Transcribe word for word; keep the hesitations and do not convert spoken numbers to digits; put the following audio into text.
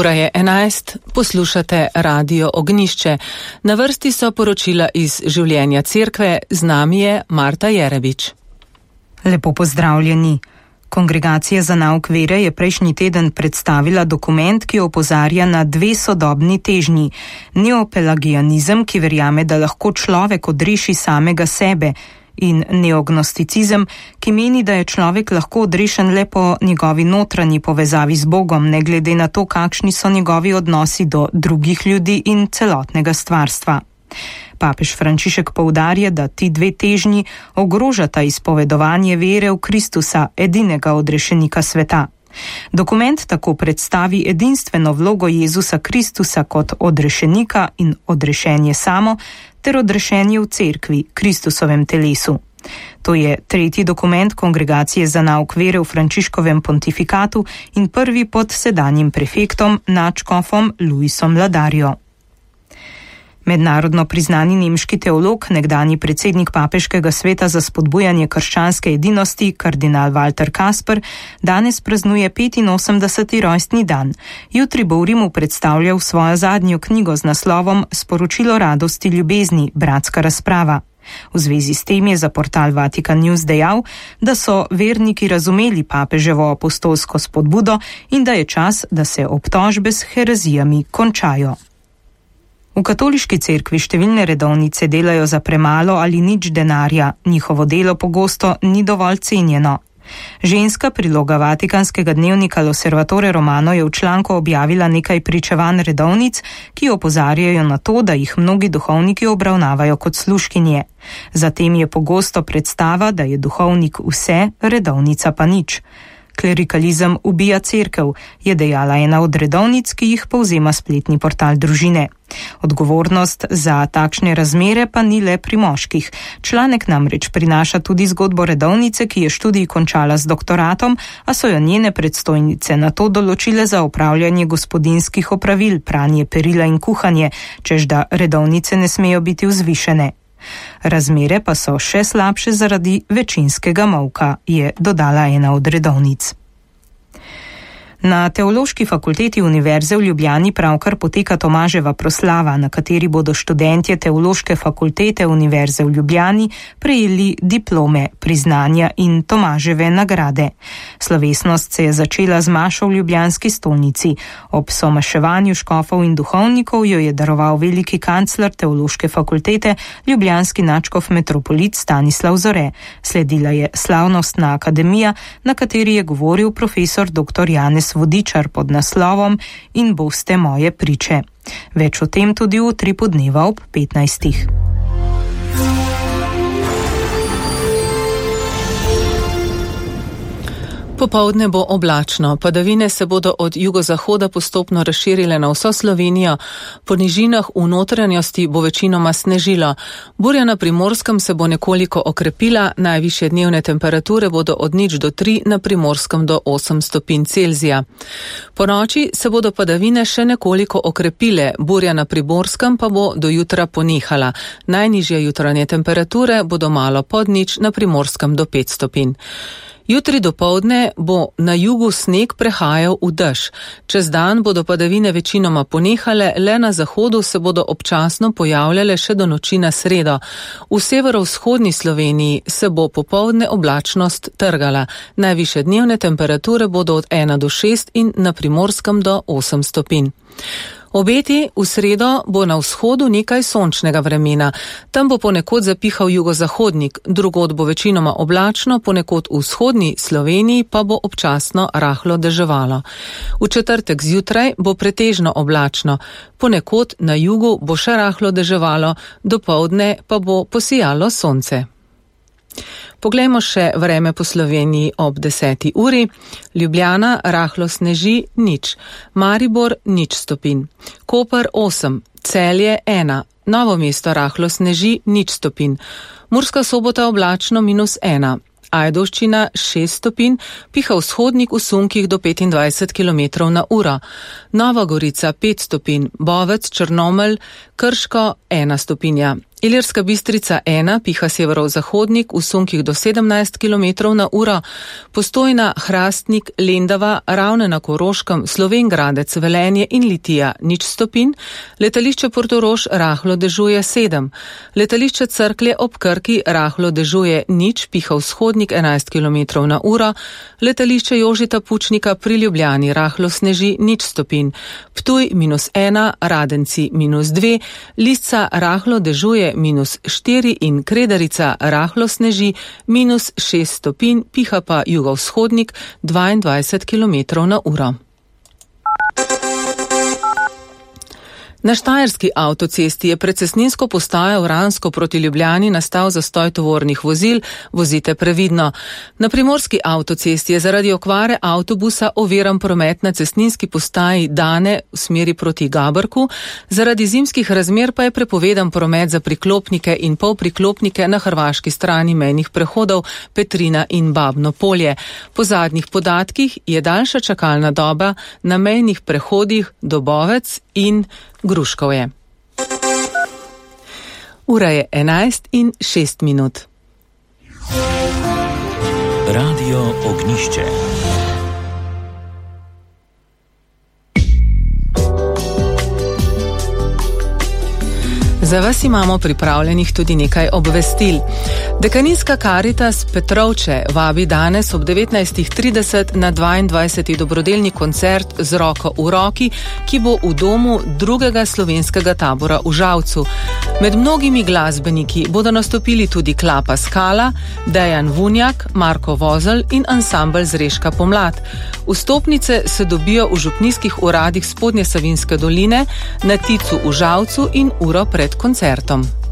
Ura je enajst, poslušate Radio Ognjišče. Na vrsti so poročila iz življenja cerkve, z nami je Marta Jerebič. Lepo pozdravljeni. Kongregacija za nauk vere je prejšnji teden predstavila dokument, ki opozarja na dve sodobni težnji. Neopelagianizem, ki verjame, da lahko človek odreši samega sebe, in neognosticizem, ki meni, da je človek lahko odrešen le po njegovi notranji povezavi z Bogom, ne glede na to, kakšni so njegovi odnosi do drugih ljudi in celotnega stvarstva. Papež Frančišek poudarja, da ti dve težnji ogrožata izpovedovanje vere v Kristusa, edinega odrešenika sveta. Dokument tako predstavi edinstveno vlogo Jezusa Kristusa kot odrešenika in odrešenje samo, ter odrešenje v cerkvi, Kristusovem telesu. To je tretji dokument Kongregacije za nauk vere v Frančiškovem pontifikatu in prvi pod sedanjim prefektom, nadškofom Luisom Ladarjo. Mednarodno priznani nemški teolog, nekdanji predsednik papeškega sveta za spodbujanje krščanske edinosti, kardinal Walter Kasper, danes praznuje petinosemdeseti rojstni dan. Jutri bo v Rimu predstavljal svojo zadnjo knjigo z naslovom Sporočilo radosti ljubezni, bratska razprava. V zvezi s tem je za portal Vatican News dejal, da so verniki razumeli papeževo apostolsko spodbudo in da je čas, da se obtožbe s herezijami končajo. V katoliški cerkvi številne redovnice delajo za premalo ali nič denarja, njihovo delo pogosto ni dovolj cenjeno. Ženska priloga vatikanskega dnevnika L'Osservatore Romano je v članku objavila nekaj pričevanj redovnic, ki opozarjajo na to, da jih mnogi duhovniki obravnavajo kot služkinje. Zatem je pogosto predstava, da je duhovnik vse, redovnica pa nič. Klerikalizem ubija cerkev, je dejala ena od redovnic, ki jih povzema spletni portal Družine. Odgovornost za takšne razmere pa ni le pri moških. Članek namreč prinaša tudi zgodbo redovnice, ki je študij končala z doktoratom, a so jo njene predstojnice na to določile za opravljanje gospodinjskih opravil, pranje perila in kuhanje, čež da redovnice ne smejo biti vzvišene. Razmere pa so še slabše zaradi večinskega molka, je dodala ena od redovnic. Na Teološki fakulteti Univerze v Ljubljani pravkar poteka Tomaževa proslava, na kateri bodo študentje Teološke fakultete Univerze v Ljubljani prejeli diplome, priznanja in Tomaževe nagrade. Slovesnost se je začela z mašo v ljubljanski stolnici. Ob somaševanju škofov in duhovnikov jo je daroval veliki kancler Teološke fakultete, ljubljanski nadškof metropolit Stanislav Zore. Sledila je slavnostna akademija, na kateri je govoril profesor dr. Janez Vodičar pod naslovom In boste moje priče. Več o tem tudi v utripu dneva ob petnajstih. Popoldne bo oblačno, padavine se bodo od jugozahoda postopno razširile na vso Slovenijo, po nižinah v notranjosti bo večinoma snežilo. Burja na Primorskem se bo nekoliko okrepila, najvišje dnevne temperature bodo od nič do tri, na Primorskem do osem stopinj Celzija. Po noči se bodo padavine še nekoliko okrepile, burja na Primorskem pa bo do jutra ponehala. Najnižje jutranje temperature bodo malo pod nič, na Primorskem do pet stopinj. Jutri dopoldne bo na jugu sneg prehajal v dež. Čez dan bodo padavine večinoma ponehale, le na zahodu se bodo občasno pojavljale še do noči na sredo. V severovzhodni Sloveniji se bo popoldne oblačnost trgala. Najvišje dnevne temperature bodo od ena do šest in na Primorskem do osem stopinj. Obeti v sredo bo na vzhodu nekaj sončnega vremena. Tam bo ponekod zapihal jugozahodnik, drugod bo večinoma oblačno, ponekod v vzhodni Sloveniji pa bo občasno rahlo deževalo. V četrtek zjutraj bo pretežno oblačno, ponekod na jugu bo še rahlo deževalo, dopoldne pa bo posijalo sonce. Poglejmo še vreme po Sloveniji ob deseti uri. Ljubljana rahlo sneži, nič. Maribor nič stopinj. Koper osem, Celje ena, Novo mesto rahlo sneži, nič stopinj. Murska Sobota oblačno minus ena. Ajdovščina šest stopinj, piha vzhodnik v sunkih do petindvajset kilometrov na uro. Nova Gorica pet stopinj, Bovec, Črnomelj, Krško ena stopinja. Ilirska Bistrica ena piha severov-zahodnik v sunkih do sedemnajst kilometrov na uro, Postojna, Hrastnik, Lendava, Ravne na Koroškem, Slovenj Gradec, Velenje in Litija nič stopinj, letališče Portorož rahlo dežuje sedem, letališče Cerklje ob Krki rahlo dežuje nič, piha vzhodnik enajst kilometrov na uro, letališče Jožeta Pučnika pri Ljubljani rahlo sneži nič stopinj, Ptuj minus ena, Radenci minus dve, Lisca rahlo dežuje minus štiri in Kredarica rahlo sneži minus šest stopinj, piha pa jugovzhodnik dvaindvajset kilometrov na uro. Na štajerski avtocesti je pred cestninsko postajo Vransko proti Ljubljani nastal zastoj tovornih vozil, vozite previdno. Na primorski avtocesti je zaradi okvare avtobusa oviran promet na cestninski postaji Dane v smeri proti Gabrku, zaradi zimskih razmer pa je prepovedan promet za priklopnike in polpriklopnike na hrvaški strani mejnih prehodov Petrina in Babno Polje. Po zadnjih podatkih je daljša čakalna doba na mejnih prehodih Dobovec in Gruškovje. Ura je enajst in šest minut. Radio Ognjišče. Za vas imamo pripravljenih tudi nekaj obvestil. Dekaninska Karitas Petrovče vabi danes ob devetnajst trideset na dvaindvajseti dobrodelni koncert z roko v roki, ki bo v domu drugega slovenskega tabora v Žalcu. Med mnogimi glasbeniki bodo nastopili tudi Klapa Skala, Dejan Vunjak, Marko Vozelj in ansambel Zreška Pomlad. Vstopnice se dobijo v župnijskih uradih Spodnje Savinjske doline, na Ticu v Žalcu in uro pred koncertom.